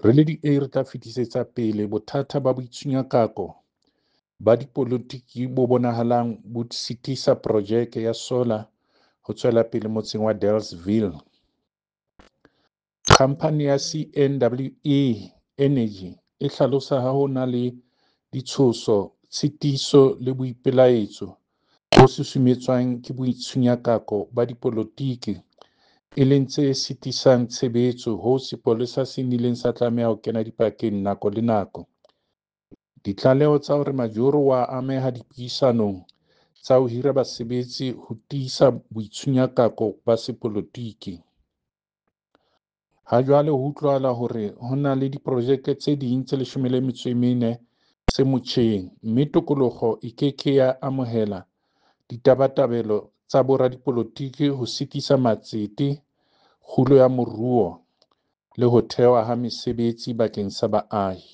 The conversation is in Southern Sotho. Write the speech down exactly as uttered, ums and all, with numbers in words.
Re le D A re tla fetisetsa pele bothata ba boitshunyakako ba dipolotiki bo bonahalang bo sitisa projeke ya sola ho tswela pele motseng wa Dealesville. Khamphane ya C N W E Energy e hlalosa ha ho na le ditshoso, tshitiso le boipelaetso bo susumetswang ke boitshunyakako ba dipolotiki, e leng tse sitisang tshebetso hoo sepolesa se nnileng sa tlameha ho kena dipakeng nako le nako. Ditlaleho tsa hore Majoro o a ameha dipuisanong tsa ho hira basebetsi ho tiisa boitshunyakako ba sepolotiki. Hajwale ho utlwahala hore ho na le diprojeke tse ding tse leshome le metso e mene tse motjheng, mme Tokoloho e ke ke ya amohela ditabatabelo tsa boradipolotiki ho sitisa matsete, kgolo ya moruo le ho thehwa ha mesebetsi bakeng sa baahi.